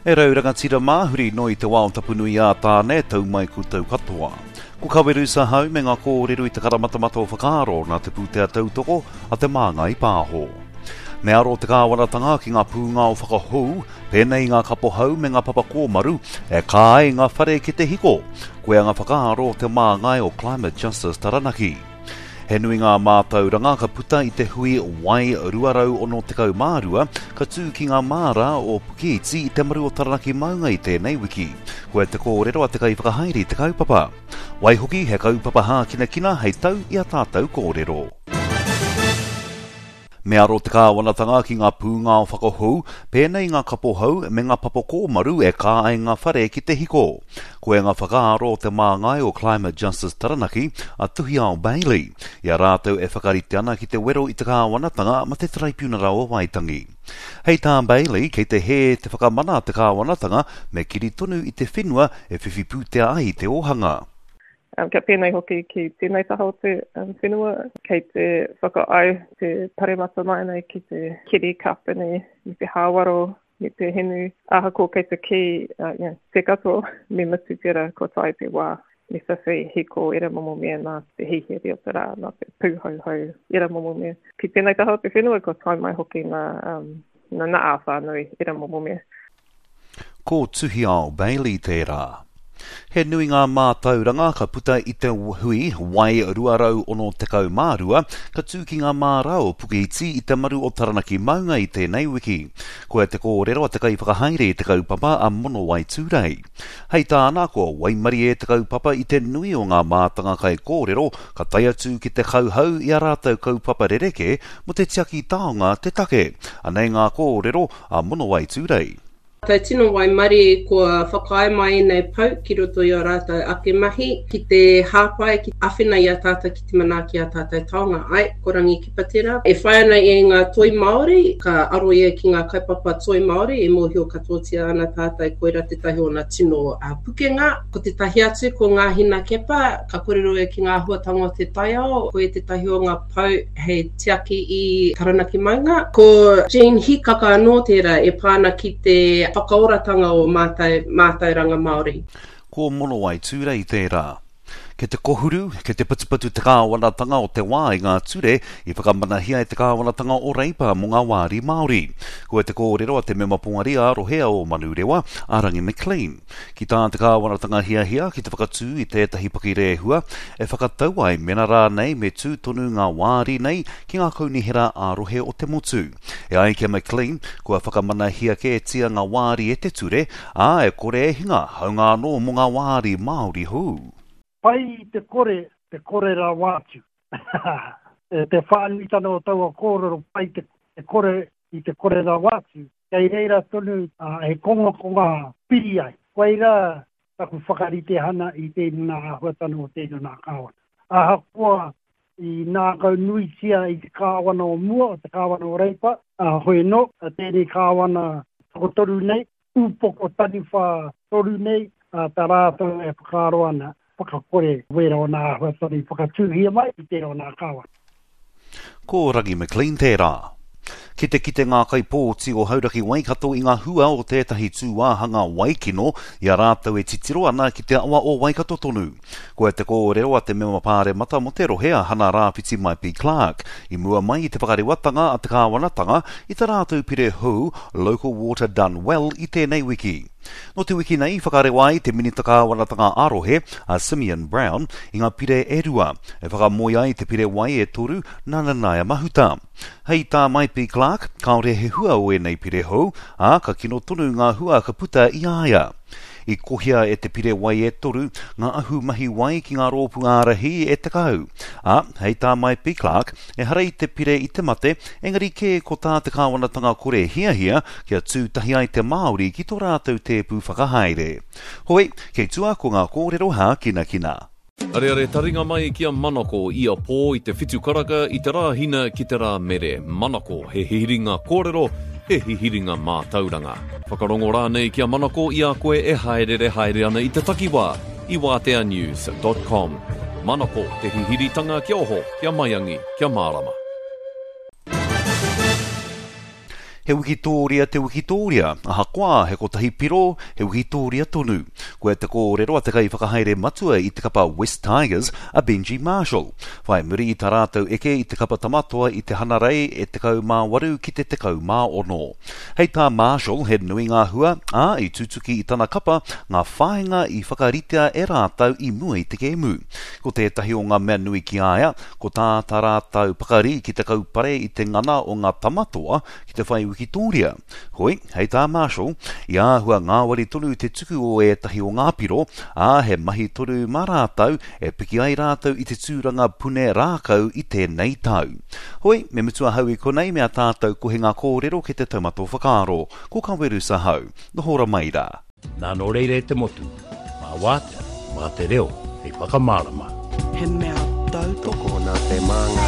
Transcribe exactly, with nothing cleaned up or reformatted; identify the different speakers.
Speaker 1: E rau rangatira mā, huri noa i te wā o Tapunui ā Tāne, tau mai koutou katoa. Ko Kawerusa hau me ngā kōrero i te karamatamata o whakaaro nā te pūtea tautoko a Te Māngai Pāho. Me aro te kāwanatanga ki ngā pūngao whakahou, pēnei i ngā kapohau me ngā papa kōmaru, e kā ai ngā whare ki te hiko. Koia ngā whakaaro o te māngai o Climate Justice Taranaki. He nui ngā mātauranga ka puta i te hui Wai rua rau ono tekau mā rua, ka tū ki ngā māra o Pukeiti i te maru o Taranaki maunga i tēnei wiki. Koia te kōrero a te kaiwhakahaere i te kaupapa. Waihoki, he kaupapa hākinakina hei tau i a tātou kōrero. Me aro te kāwanatanga ki ngā pūngao whakahou, pēnei i ngā kapohau me ngā papa kōmaru e kā ai ngā whare ki te hiko. Koia ngā whakaaro o te māngai o Climate Justice Taranaki, a Tuhiao Bailey, i a rātou e whakarite ana ki te wero i te kāwanatanga ma te Taraipiunara o Waitangi. Hei tā Bailey, kei te hē te whakamana a te kāwanatanga me kiri tonu i te whenua e whiwhi pūtea ai te ōhanga.
Speaker 2: Um, kia pēnei hoki ki tēnei taha o te um, whenua, kei te whakaau te paremata mai nei ki te kiri kāpene, me te hāwaro, me te hinu. Ahakoa kei te kī, uh, you know, te katoa, me mutu tērā kua tae te wā, me whiwhi hiko era momo mea nā te hihiri o te rā, nā te pūhouhou, era momo mea. Ki tēnei taha o te whenua, kua tae mai hoki nā, um, nā, nā ā-whānui, era momo mea.
Speaker 1: Ko Tuhiao Bailey tērā. He nui ngā mātauranga ka puta i te hui Wai rua rau ono tekau mā rua, ka tū ki ngā māra o Pukeiti i te maru o Taranaki maunga i tēnei wiki. Koia te kōrero a te kaiwhakahaere i te kaupapa a Monowai Tūrei. Hei tāna, kua waimarie te kaupapa i te nui o ngā mātanga kaikōrero ka tae atu ki te kauhau i a rātou kaupapa rerekē mō te tiaki taonga te take. Anei ngā kōrero a Monowai Tūrei.
Speaker 3: Tau tino waimarie kua whakaae mai ēnei pou ki roto i ō rātou ake mahi, ki te hāpai, ki āwhina i a tātou ki te manaaki a tātou taonga. Ai, ko Rangi Keepa tērā. E whai ana i ngā toi Māori, ka aro ia ki ngā kaupapa toi Māori, e mōhio katoatia ana tātou koira tētahi o ngā tino uh, pukenga. Ko tētahi atu, ko ngā hina kepa, ka kōrero ia ki ngā āhuatanga o te taiao, koia tētahi o ngā pou hei tiaki i Taranaki maunga. Ko Jean Hikaka anō tērā e pā ana ki te whakaoratanga o mātou, mātauranga Māori.
Speaker 1: Ko Monowai Tūrei tērā. Kei te kohuru, kei te patupatu te kāwanatanga o te wā i ngā ture i whakamanahia e te kāwanatanga o Reipa mō ngā wāri Māori. Koia te kōrero a te mema poari a rohea o Manurewa, a Rangi McLean. Ki tā te kāwanatanga hiahia ki te whakatū i tētahi pakirehua e whakatau ai mena rānei me tū tonu ngā wāri nei ki ngā kaunihera ā-rohe o te motu. E ai ki a McLean, kua whakamanahia kētia ngā wāri e te ture, ā, e kore e hinga, haunga anō mō ngā wāri Māori hou.
Speaker 4: Pai i te kore, te kore rawa atu. E te whānuitanga o taua kōrero pai te, te kore i te kore rawa atu, kei reira tonu uh, he kongakonga piri ai. Koira taku whakaritehana i tēnā āhuatanga o tēnā kāwana. Ahakoa i ngākau nuitia i te kāwana o mua, o te kāwana o Reipa, uh, hoi no, a tēnei kāwana tokotoru nei, upoko taniwha toru nei, uh, tā rātou e whakaaro ana, whakakore wera o nā āhuatanga i whakatūhia mai i tērā o nā kāwana.
Speaker 1: Ko Rangi McLean tērā. Ki te kite ngā kaipōti o Hauraki Waikato i ngā hua o tētahi tūāhanga waikino i a rātou e titiro ana ki te awa o Waikato tonu. Koia te kōrero a te mema pāremata mō te rohe a Hana Rāwhiti Maipi Clark i mua mai i te whakarewatanga a te kāwanatanga i tā rātou pire hou Local Water Done Well i tēnei wiki. Nō te wiki nei i whakarewa ai te minita kāwanatanga ā-rohe a Simeon Brown i ngā pire e rua, e whakamoe ai te pire wai e toru nā Nanaia Mahuta. Hei tā Maipi Clark, kāore he hua o ēnei pire hou, ā, ka kino tonu ngā hua ka puta i a ia. I kohia e te pire wai e toru ngā ahu mahi wai ki ngā rōpū ārahi e tekau. Ā, hei tā Maipi Clark, ehara i te pire i te mate, engari kē ko tā te kāwanatanga kore hiahia kia tū tahi ai te Māori ki tō rātou tēpu whakahaere. Hoi, kei tua ko ngā kōrero hākinakina.
Speaker 5: Areare taringa mai ki a Manako ia pō i te whitu karaka i te rā hina ki te rā mere. Manako, he hihiringa kōrero, he hihiringa mātauranga. Whakarongo rānei ki a Manako i a koe e haerere haere ana i te takiwā i wātea news dot com. Manako, te hihiritanga kia oho, kia maiangi, kia mārama.
Speaker 1: He wikitōria te wikitōria, ahakoa he kotahi piro, he wikitōria tonu. Koe te kōrero a te kaiwhakahaere matua i te kapa West Tigers, a Benji Marshall. Whai muri i tā rātou eke i te kapa Tamatoa i te Hanarei e tekau mā waru ki te tekau mā ono. Hei tā Marshall, he nui ngā hua, ā, i tutuki i tana kapa ngā whāinga i whakaritea e rātou i mua i te kēmu. Ko tētahi o ngā mea nui ki a ia, ko tā tā rātou pakari ki te kaupare i te ngana o ngā Tamatoa ki te whai wikitōria. Hoi, hei tā Marshall, i āhua ngāwari tonu te tuku o ētahi o ngā piro, ā, he mahi tonu mā rātou e piki ai rātou i te tūranga pune rākau i tēnei tau. Hoi, me mutu ahau i konei me a tātou kohinga kōrero ki te taumata o whakaaro. Ko Kaweru Sahau. Noho ora mai rā.
Speaker 6: Nā nō reira e te motu, mā wātea, mā te reo, hei whakamārama.
Speaker 7: He mea tautoko.
Speaker 8: Tokona te māngai.